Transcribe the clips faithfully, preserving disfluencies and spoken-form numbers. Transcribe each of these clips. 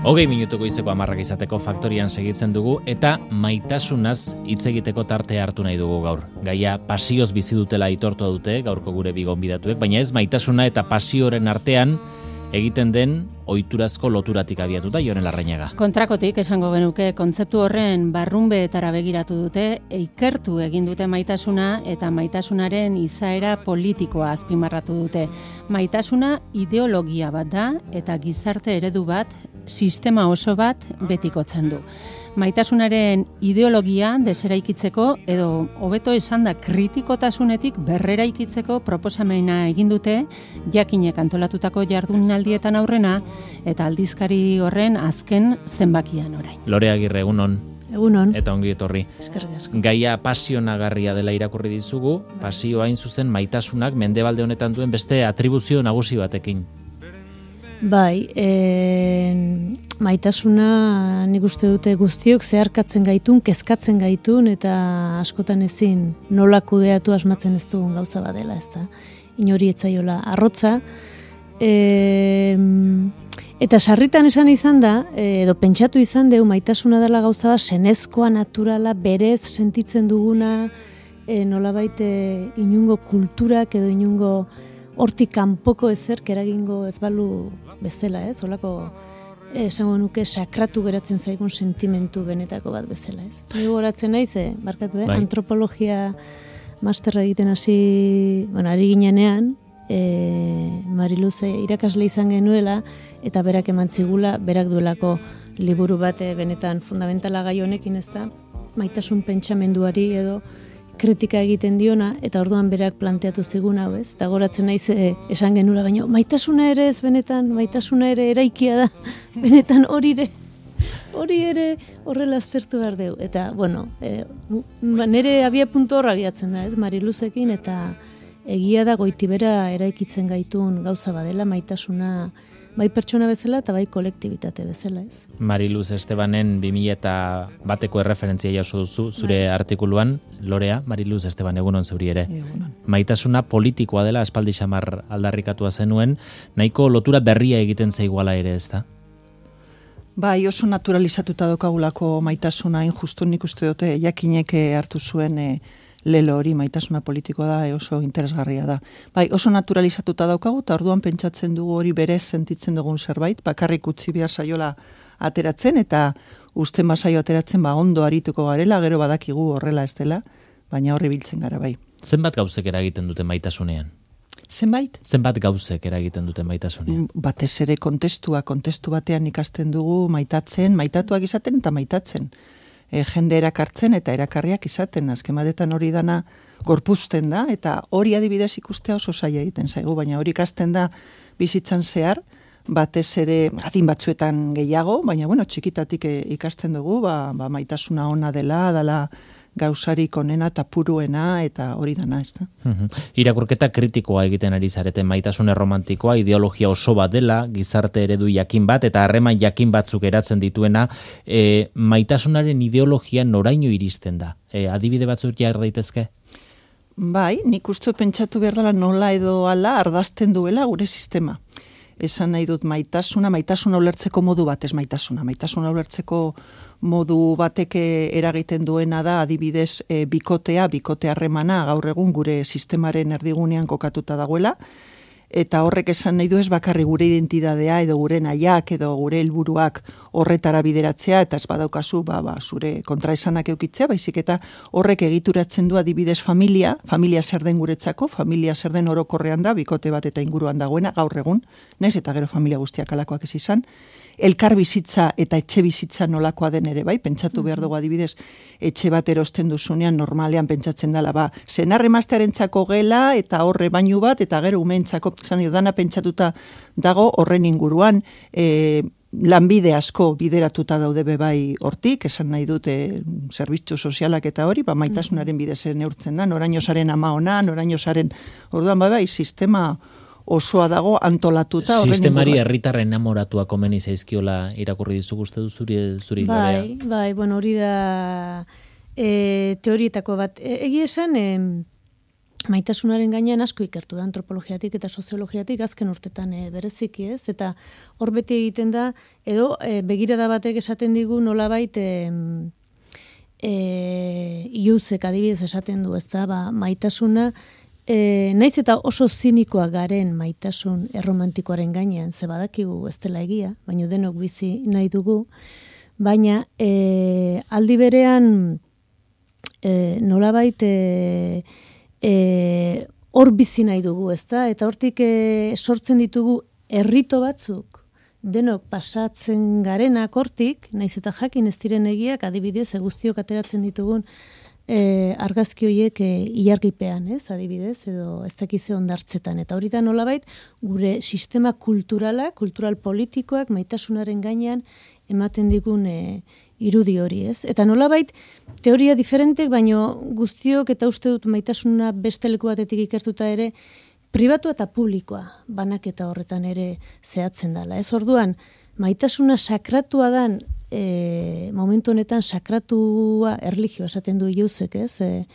Hogei minutuko izeko amarrak izateko faktorian segitzen dugu eta maitasunaz hitz egiteko tartea hartu nahi dugu gaur. Gaia pasioz bizi dutela aitortu dute gaurko gure bi gonbidatuek, baina ez maitasuna eta pasioren artean egiten den ohiturazko loturatik abiatuta, Jon Larrañaga. Kontrakotik esango genuke kontzeptu horren barrunbeetara begiratu dute, ikertu egin dute maitasuna eta maitasunaren izaera politikoa azpimarratu dute. Maitasuna ideologia bat da eta gizarte eredu bat, sistema oso bat betikotzen du. Maitasunaren ideologia deseraikitzeko edo hobeto esan da kritikotasunetik berreraikitzeko proposamena egin dute jakinek antolatutako jardunaldietan aurrena eta aldizkari horren azken zenbakian orain. Lore Agirre, egunon. Egunon. Eta ongi etorri. Eskerrik asko. Gaia pasionagarria dela irakurri dizugu, pasioa hain zuzen maitasunak mendebalde honetan duen beste atribuzio nagusi batekin. Bai, e, maitasuna nik uste dute guztiok zeharkatzen gaitun, kezkatzen gaitun eta askotan ezin nola kudeatu asmatzen ez dugun gauza badela, ez da. Inori etzaiola arrotza. E, eta sarritan esan izan da, edo pentsatu izan deu maitasuna dela gauza bat, senezkoa, naturala, berez sentitzen duguna, e, nolabait e, inungo kulturak edo inungo hortik kanpoko ezerk eragingo ez balu bezala, ez? Holako esango nuke sakratu geratzen zaigun sentimentu benetako bat bezala, ez? Ni goratzen naiz, eh, barkatu, eh? Bai. Antropologia masterra egiten hasi, bueno, ari ginenean, eh, Mariluz irakasle izan genuela eta berak eman zigula, berak duelako liburu bat eh, benetan fundamentala gai honekin, ez da? Maitasun pentsamenduari edo kritika egiten diona, eta orduan berak planteatu zigun hau, ez? Eta goratzen naiz e, esan genura baino, maitasuna ere ez benetan, maitasuna ere eraikia da, benetan hori ere, hori ere horrela aztertu behar deu. Eta, bueno, e, nire abia puntu horra abiatzen da, ez? Mariluzekin, eta egia da goitibera eraikitzen gaitun gauza badela, maitasuna bai pertsona bezala eta bai kolektibitate bezala, ez? Mariluz Estebanen bi mila eta bateko erreferentzia jaso duzu zure bai. Artikuluan, Lorea, Mariluz Esteban, egunon zeuri ere. Egunon. Maitasuna politikoa dela aspaldi xamar aldarrikatua zenuen, nahiko lotura berria egiten zaiguala ere, ez da? Bai, oso naturalizatuta dokagulako maitasuna, hain justu nik uste dute jakinek hartu zuen e, lelo hori, maitasuna politikoa da, e, oso interesgarria da. Bai, oso naturalizatuta daukagu, eta orduan pentsatzen dugu hori berez sentitzen dugun zerbait, bakarrik utzi behar saiola ateratzen, eta uste masaio ateratzen, ba, ondo arituko garela, gero badakigu horrela ez dela, baina horri biltzen gara bai. Zenbat gauzek eragiten dute maitasunean? Zenbait? Zenbat gauzek eragiten dute maitasunean? Batez ere kontestua, kontestu batean ikasten dugu maitatzen, maitatuak izaten eta maitatzen. E, jende erakartzen eta erakarriak izaten, azken batetan hori dana gorpuzten da, eta hori adibidez ikustea oso zaila egiten zaigu, baina hori ikasten da bizitzan zehar, batez ere adin batzuetan gehiago, baina bueno, txikitatik e, ikasten dugu, ba, ba, maitasuna ona dela, dela gauzarik onena eta puruena, eta hori dana, ez da. Uhum. Irakurketa kritikoa egiten ari zarete, maitasune romantikoa, ideologia oso bat dela, gizarte eredu jakin bat, eta harreman jakin batzuk eratzen dituena, e, maitasunaren ideologia noraino iristen da? E, adibide batzuk jar daitezke? Bai, nik uste pentsatu behar dela nola edo ala ardazten duela gure sistema. Esan nahi dut maitasuna, maitasuna ulertzeko modu bat ez maitasuna. Maitasuna ulertzeko modu batek eragiten duena da adibidez e, bikotea, bikote harremana gaur egun gure sistemaren erdigunean kokatuta dagoela, eta horrek esan nahi du ez bakarri gure identidadea edo gure nahiak edo gure helburuak horretara bideratzea, eta ez badaukazu ba, ba, zure kontraesanak eukitzea, baizik eta horrek egituratzen du adibidez familia, familia zer den guretzako, familia zer den orokorrean da, bikote bat eta inguruan dagoena, gaur egun, naiz eta gero familia guztiak alakoak ez izan, elkar bizitza eta etxe bizitza nolakoa den ere, bai, pentsatu behar dugu adibidez, etxe bat erosten duzunean normalean pentsatzen dela, ba, senar-emaztearentzako gela eta horre bainu bat, eta gero umeentzako, zan dana pentsatuta dago horren inguruan, e, lanbide asko bideratuta daude bebai hortik, esan nahi dute zerbitzu sozialak eta hori, ba, maitasunaren bidez neurtzen da, noraino zaren ama ona, noraino zaren, orduan, bai, bai, sistema osoa dago antolatuta. Sistemari herritarren enamoratua komeni zaizkiola irakurri dizu uste du zuri, zuri bai, Lorea? Bai, bueno, hori da e, teorietako bat. E, Egia esan, e, maitasunaren gainean asko ikertu da antropologiatik eta soziologiatik azken urtetan e, bereziki ez, eta hor beti egiten da, edo e, begirada batek esaten digu nolabait e, e, iuzek adibidez esaten du, ez da, ba, maitasuna, e, naiz eta oso zinikoa garen maitasun erromantikoaren gainean, ze badakigu ez dela egia, baina denok bizi nahi dugu, baina e, aldi berean e, nolabait e, hor e, bizi nahi dugu, ezta? Eta hortik e, sortzen ditugu herrito batzuk, denok pasatzen garenak hortik, naiz eta jakin ez diren egiak, adibidez, guztiok ateratzen ditugun e, argazki horiek e, ilargipean, ez, adibidez, edo ez dakize ondartzetan. Eta hori da nolabait, gure sistema kulturala, kultural politikoak, maitasunaren gainean, ematen digun e, irudi hori, ez? Eta nolabait, teoria diferentek, baino guztiok eta uste dut maitasuna beste leku batetik ikertuta ere, pribatu eta publikoa banaketa horretan ere zehatzen dela, ez? Orduan, maitasuna sakratua dan, e, momentu honetan sakratua erlijioa esaten du iuzek, ez? E,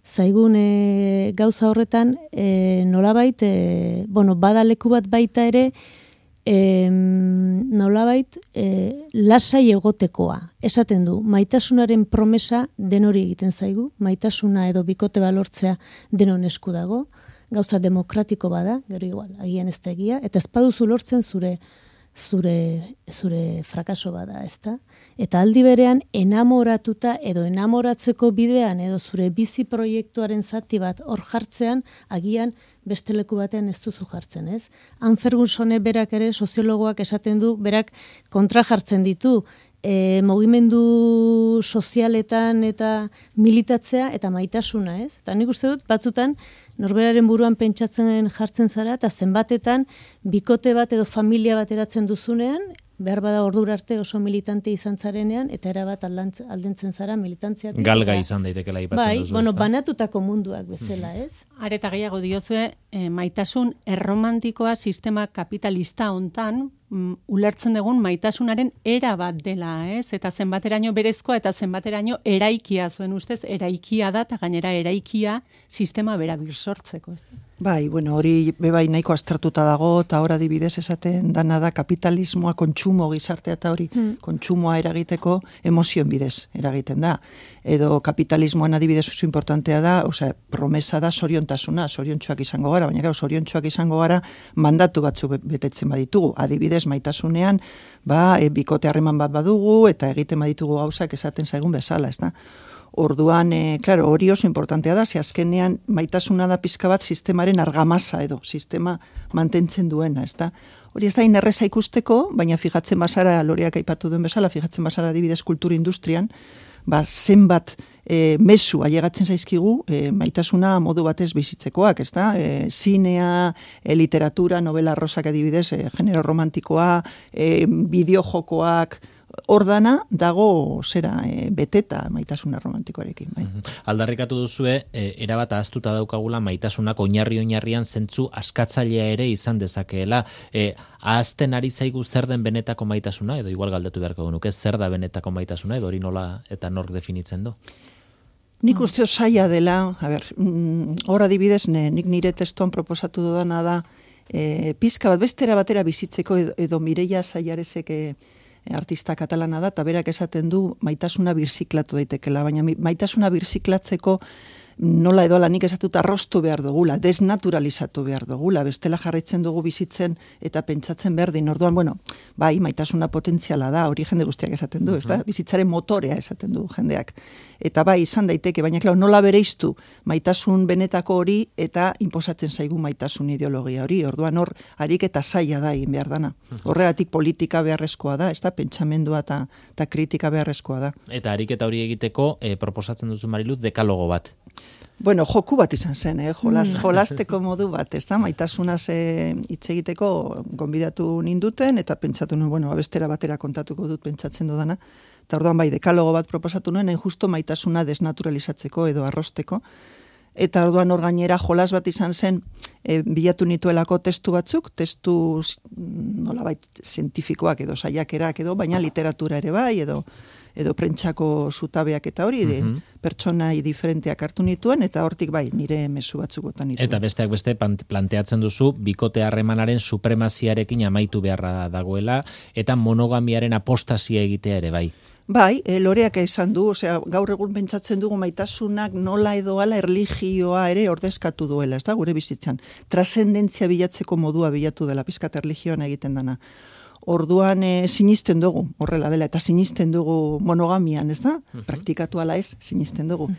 zaigun e, gauza horretan, e, nolabait, e, bueno, bada leku bat baita ere, E, nolabait e, lasai egotekoa. Esaten du, maitasunaren promesa den hori egiten zaigu, maitasuna edo bikote balortzea denon esku dago, gauza demokratiko bada, gero igual, agian ez da egia, eta ez baduzu lortzen zure zure zure frakaso bada, ezta? Eta aldi berean enamoratuta edo enamoratzeko bidean edo zure bizi proiektuaren zati bat hor jartzean, agian beste leku batean ez duzu jartzen, ez? Han Fergusone berak ere soziologoak esaten du, berak kontra jartzen ditu, e, mugimendu sozialetan eta militatzea eta maitasuna, ez? Eta nik uste dut, batzutan, norberaren buruan pentsatzen jartzen zara, eta zenbatetan bikote bat edo familia bat eratzen duzunean, behar bada ordura arte oso militante izan zarenean, eta erabat aldentzen zara militantziatik. Galga izan daitekela aipatzen bai, duzu. Bai, bueno, banatutako munduak bezala, ez? Areta gehiago diozue, eh, maitasun erromantikoa sistema kapitalista hontan, mm, ulertzen dugun maitasunaren era bat dela, ez? Eta zenbateraino berezkoa eta zenbateraino eraikia zuen ustez, eraikia da, eta gainera eraikia sistema bera birsortzeko, ez? Bai, bueno, hori bebai nahiko aztertuta dago, eta hor adibidez esaten dana da kapitalismoa, kontsumo gizartea eta hori hmm. kontsumoa eragiteko emozioen bidez eragiten da. Edo kapitalismoan adibidez oso importantea da, osea, promesa da soriontasuna, soriontsuak izango gara, baina gau, soriontsuak izango gara mandatu batzuk betetzen baditugu. Adibidez, maitasunean, ba, e, bikote harreman bat badugu, eta egiten baditugu gauzak esaten zaigun bezala, ez da? Orduan, e, claro, hori oso importantea da, ze azkenean maitasuna da pizka bat sistemaren argamasa edo, sistema mantentzen duena, ez da? Hori ez da inerreza ikusteko, baina fijatzen bazara, Loreak aipatu duen bezala, fijatzen bazara adibidez kultura industrian, ba, zenbat e, mezu ailegatzen zaizkigu e, maitasuna modu batez bizitzekoak, ez da? E, zinea, e, literatura, novela arrosak adibidez, e, genero romantikoa, e, bideojokoak, ordana dago zera e, beteta maitasuna romantikoarekin. Bai. Aldarrikatu duzue, e, erabat ahaztuta daukagula maitasunak oinarri oinarrian zentzu askatzailea ere izan dezakeela. E, ahazten ari zaigu zer den benetako maitasuna, edo igual galdetu beharko genuke, zer da benetako maitasuna, edo hori nola eta nork definitzen du? Nik uste zaila dela, a ber, hor adibidez, ne, nik nire testuan proposatu dudana da, e, pizka bat bestera batera bizitzeko edo, edo Mireia Saiaresek e, artista katalana da, eta berak esaten du maitasuna birziklatu daitekela, baina maitasuna birziklatzeko nola edo ala nik esatut arrostu behar dugula, desnaturalizatu behar dugula, bestela jarraitzen dugu bizitzen eta pentsatzen berdin, orduan, bueno, bai, maitasuna potentziala da, hori jende guztiak esaten du, uh-huh. ez da? Bizitzaren motorea esaten du jendeak. Eta bai, izan daiteke, baina klar, nola bereiztu maitasun benetako hori eta inposatzen zaigu maitasun ideologia hori, orduan hor, harik eta zaila da egin behar dana. Horregatik politika beharrezkoa da, ez da? Pentsamendua eta, eta kritika beharrezkoa da. Eta harik eta hori egiteko, eh, proposatzen duzu Mariluz, dekalogo bat. Bueno, joku bat izan zen, eh? Jolas, jolasteko modu bat, ez da? Maitasunaz hitz egiteko gonbidatu ninduten, eta pentsatu nuen, bueno, abestera batera kontatuko dut pentsatzen dudana. Eta orduan bai, dekalogo bat proposatu nuen, hain justo maitasuna desnaturalizatzeko edo arrosteko. Eta orduan hor gainera jolas bat izan zen, e, bilatu nituelako testu batzuk, testu nolabait zientifikoak edo saiakerak edo, baina literatura ere bai, edo edo prentsako zutabeak eta hori, de, Mhm. pertsonai diferenteak hartu nituen, eta hortik bai, nire mezu batzuk botan nituen. Eta besteak beste pan- planteatzen duzu, bikote harremanaren supremaziarekin amaitu beharra dagoela, eta monogamiaren apostasia egitea ere bai. Bai, e, loreak esan du, osea, gaur egun pentsatzen dugu maitasunak nola edo ala erlijioa ere ordezkatu duela, ez da, gure bizitzan. Trascendentzia bilatzeko modua bilatu dela, pizkat erlijioan egiten dana. Orduan e, sinisten dugu, horrela dela, eta sinisten dugu monogamian, ez da? Praktikatu ala ez, sinisten dugu.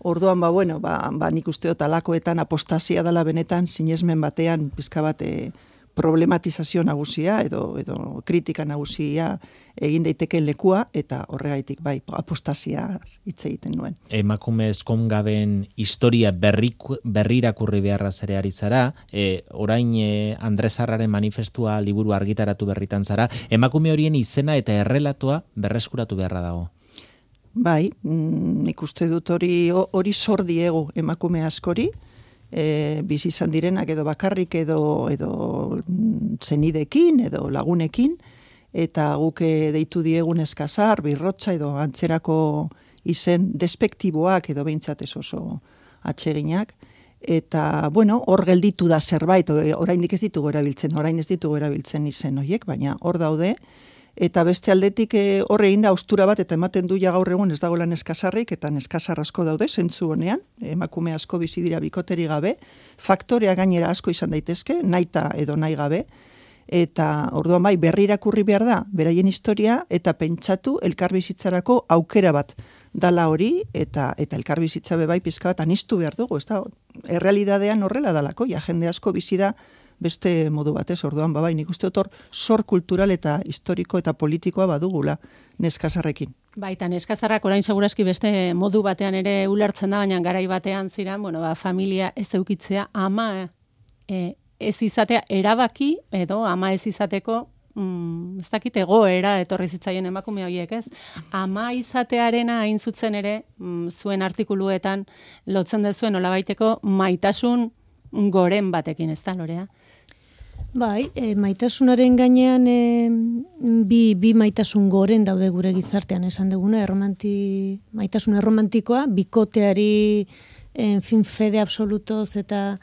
Orduan, ba, bueno, ba, ba nik uste dut alakoetan apostasia dela benetan, sinesmen batean, pizka bat, e, problematizazio nagusia edo edo kritika nagusia egin daiteke lekua, eta horregaitik bai apostasia hitz egiten nuen. Emakume ezkongaben historia berriku, berrirakurri beharra zere ari zara, e, orain e, Andres Arraren manifestua liburu argitaratu berritan zara, emakume horien izena eta errelatoa berreskuratu beharra dago. Bai, mm, nik uste dut hori hori zor diegu emakume askori, E, bizi izan direnak edo bakarrik edo edo zenidekin edo lagunekin, eta guk deitu diegun eskazar, birrotxa edo antzerako izen despektiboak edo behintzat ez oso atseginak, eta bueno, hor gelditu da zerbait, oraindik ez ditugu erabiltzen, orain ez ditugu erabiltzen izen horiek, baina hor daude, eta beste aldetik e, horre egin da austura bat, eta ematen du ja gaur egun ez dagoela neskazarrik, eta neskazar asko daude, zentzu honean, emakume asko bizi dira bikoteri gabe, faktorea gainera asko izan daitezke, naita edo nahi gabe, eta orduan bai, berri irakurri behar da, beraien historia, eta pentsatu elkarbizitzarako aukera bat dala hori, eta eta elkarbizitza be bai pizka bat anistu behar dugu, ez da, errealidadean horrela dalako, ja jende asko bizi da beste modu batez, orduan, babai, nik uste dut hor sor kultural eta historiko eta politikoa badugula neskazarrekin. Baita, neskazarrak orain segurazki beste modu batean ere ulertzen da, baina garai batean ziren, bueno, ba, familia ez eukitzea, ama e, ez izatea erabaki, edo ama ez izateko, mm, ez dakit egoera etorri zitzaien emakume horiek, ez? Ama izatearena hain zutzen ere, mm, zuen artikuluetan lotzen dezuen nolabaiteko maitasun goren batekin, ez da, Lorea? Bai, e, maitasunaren gainean e, bi, bi maitasun goren daude gure gizartean, esan duguna, erromanti, maitasun erromantikoa, bikoteari en fin fede absolutoz eta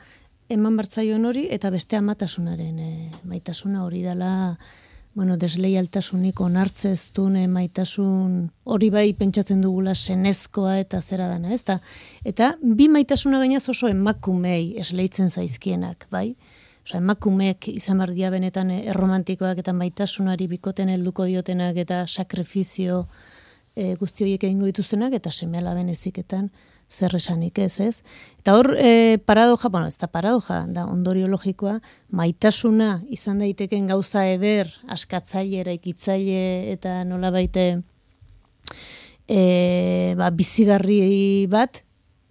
eman bartzaion hori, eta beste amatasunaren e, maitasuna hori dela, bueno, desleialtasunik onartzeztun e, maitasun hori bai pentsatzen dugula senezkoa eta zera dana, ez da? Eta bi maitasuna gainaz oso emakumei esleitzen zaizkienak, bai? Osa, emakumeek izan behar dia benetan erromantikoak eta maitasunari bikoten helduko diotenak eta sakrifizio e, guzti horiek egingo dituztenak eta seme-alaben eziketan zer esanik ez, ez? Eta hor e, paradoja, bueno, ez da paradoja, da ondorio logikoa, maitasuna izan daiteken gauza eder, askatzaile, eraikitzaile eta nola baite e, ba, bizigarri bat,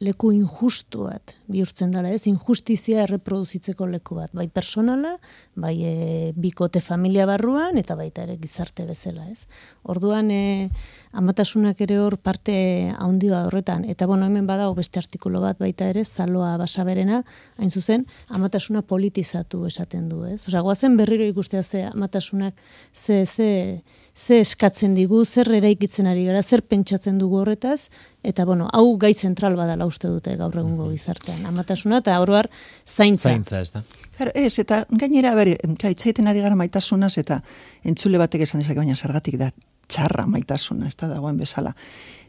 leku injustu bat bihurtzen dela, ez? Injustizia erreproduzitzeko leku bat, bai personala, bai e, bikote familia barruan, eta baita ere gizarte bezala, ez? Orduan, e, amatasunak ere hor parte haundia horretan, eta bueno, hemen badago beste artikulu bat baita ere, Zaloa Basaberena, hain zuzen, amatasuna politizatu esaten du, ez? Osea, goazen berriro ikustea ze amatasunak, ze, ze, ze eskatzen digu, zer eraikitzen ari gara, zer pentsatzen dugu horretaz, eta bueno, hau gai zentral badala uste dute gaur egungo gizartean. Amatasuna eta oroar zaintza. Zaintza, ez da. Claro, ez, eta gainera, bere, itzaiten ari gara maitasunaz, eta entzule batek esan dezake, baina zergatik da txarra maitasuna, ez da dagoen bezala.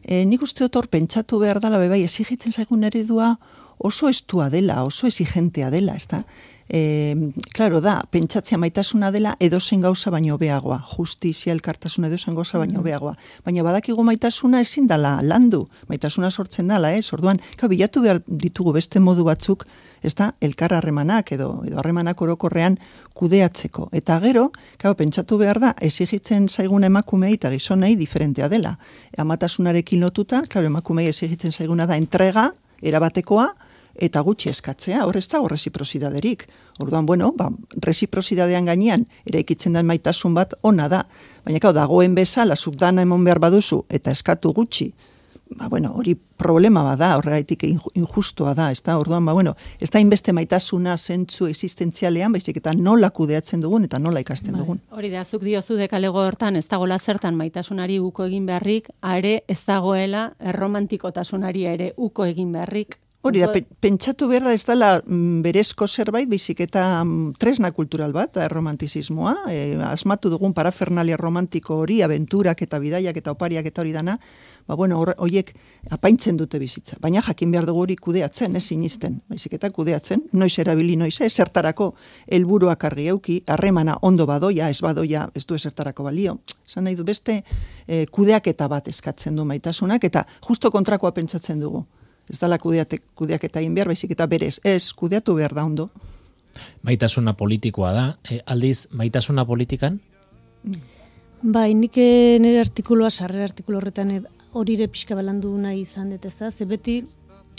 E, nik uste dut hor pentsatu behar dela, bebai, exigitzen zaigun eredua oso estua dela, oso exigentea dela, ez da? E, claro, da, pentsatzea maitasuna dela edozen gauza baino hobeagoa, justizia, elkartasuna edozen gauza baino hobeagoa. Baina badakigu maitasuna ezin dala landu, maitasuna sortzen dala, ez? Orduan, ka, bilatu behar ditugu beste modu batzuk, ez da, elkar harremanak edo edo harremanak orokorrean kudeatzeko. Eta gero, ka, pentsatu behar da, exigitzen zaigun emakumei eta gizonei diferentea dela. Amatasunarekin lotuta, claro, emakumei exigitzen zaiguna da entrega, erabatekoa, eta gutxi eskatzea, hor ez da, hor resiprosidaderik. Orduan, bueno, ba, resiprosidadean gainean, eraikitzen den maitasun bat ona da. Baina, kau, dagoen bezala, zuk dana emon behar baduzu, eta eskatu gutxi, ba, bueno, hori problema bada, horregaitik injustua da, ez da, orduan, ba, bueno, ez da inbeste maitasuna zentzu existentzialean, baizik eta nola kudeatzen dugun eta nola ikasten dugun. Hori da, zuk diozu dekalego hortan, ez dagoela zertan maitasunari uko egin beharrik, are ez dagoela erromantikotasunari ere uko egin beharrik. Hori da, pentsatu behar da ez dela berezko zerbait, bizik eta tresna kultural bat, erromantizismoa, e, asmatu dugun parafernalia romantiko hori, abenturak eta bidaiak eta opariak eta hori dana, ba bueno, horiek apaintzen dute bizitza. Baina jakin behar dugu hori kudeatzen, ez sinisten, baizik eta kudeatzen, noiz erabili noiz, ez zertarako helburuak argi euki, harremana ondo badoia, ez badoia, ez du ezertarako balio. Esan nahi du beste e, kudeaketa bat eskatzen du maitasunak, eta justo kontrakoa pentsatzen dugu. Ez dala kudeaketa egin behar, baizik eta berez, ez kudeatu behar da ondo. Maitasuna politikoa da, e, aldiz, maitasuna politikan? Bai, nik nire artikuloa, sarrera artikulo horretan horire pixka balandu nahi izan dut ez da, ze beti,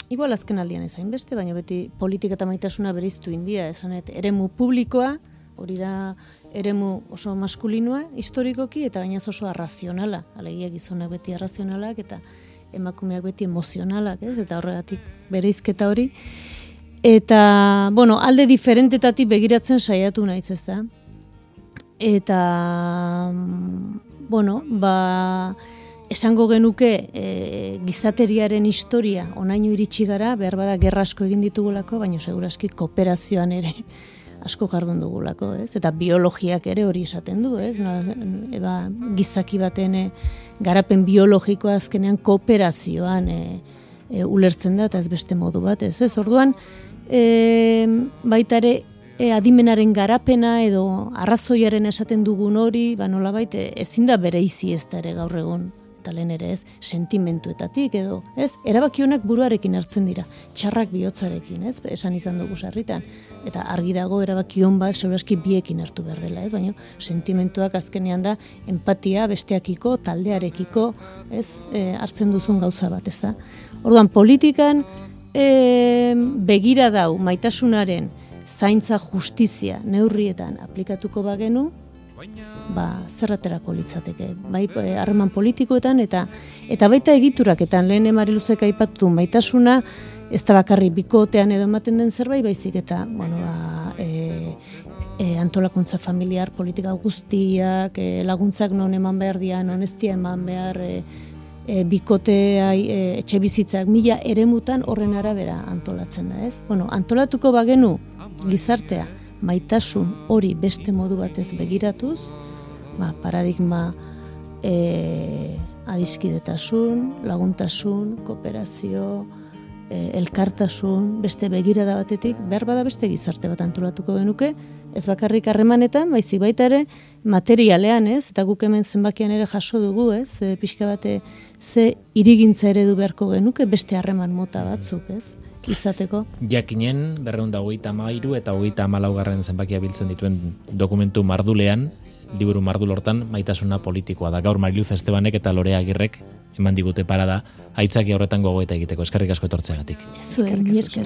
igual azken aldian ezain beste, baina beti politika eta maitasuna bereiztu india, esanet, eremu publikoa, hori da eremu oso maskulinoa, historikoki, eta gainaz oso arrazionala, alegia gizonak beti arrazionalak, eta emakumeak beti emozionalak, ez? Eta horregatik bereizketa hori. Eta, bueno, alde diferentetatik begiratzen saiatu naiz, ez da? Eta, bueno, ba, esango genuke e, gizateriaren historia onaino iritsi gara, behar bada gerra asko egin ditugulako, baina seguraski kooperazioan ere asko jardun dugulako, ez? Eta biologiak ere hori esaten du, ez? No, eba, gizaki baten e, garapen biologikoa azkenean kooperazioan e, e, ulertzen da, eta ez beste modu bat, ez? Ez orduan, e, baita ere e, adimenaren garapena edo arrazoiaren esaten dugun hori, ba nolabait e, ezin da bereizi ez da ere gaur egun, eta lehen ere ez, sentimentuetatik edo, ez? Erabaki honak buruarekin hartzen dira, txarrak bihotzarekin, ez? Esan izan dugu sarritan, eta argi dago erabaki hon bat segurazki biekin hartu behar dela, ez? Baina sentimentuak azkenean da empatia besteakiko, taldearekiko, ez? E, hartzen duzun gauza bat, ez da? Orduan, politikan e, begira dau maitasunaren zaintza justizia neurrietan aplikatuko bagenu, ba, zerraterako litzateke, bai harreman politikoetan eta eta baita egituraketan, lehen Mariluzek aipatu du maitasuna, ez da bakarri bikotean edo ematen den zerbait, baizik eta, bueno, ba, e, e, antolakuntza familiar, politika guztiak, e, laguntzak non eman behar dian, non ez dia eman behar, e, e, bikotea, e, etxe bizitzak, mila eremutan horren arabera antolatzen da, ez? Bueno, antolatuko bagenu gizartea, maitasun hori beste modu batez begiratuz, ba, paradigma e, adiskidetasun, laguntasun, kooperazio, e, elkartasun, beste begirada batetik, behar bada beste gizarte bat antolatuko genuke, ez bakarrik harremanetan, baizik baita ere materialean, ez? Eta guk hemen zenbakian ere jaso dugu, ez? E, pixka bate ze irigintza eredu beharko genuke, beste harreman mota batzuk, ez? Izateko. Jakinen, berreun da hogeita hamairu eta hogeita hamalaugarren zenbakia biltzen dituen dokumentu mardulean, liburu mardul hortan, maitasuna politikoa da. Gaur Mariluz Estebanek eta Lorea Agirrek eman digute parada, aitzaki horretan gogoeta egiteko. Eskerrik asko etortzeagatik. Zuen, mi esker.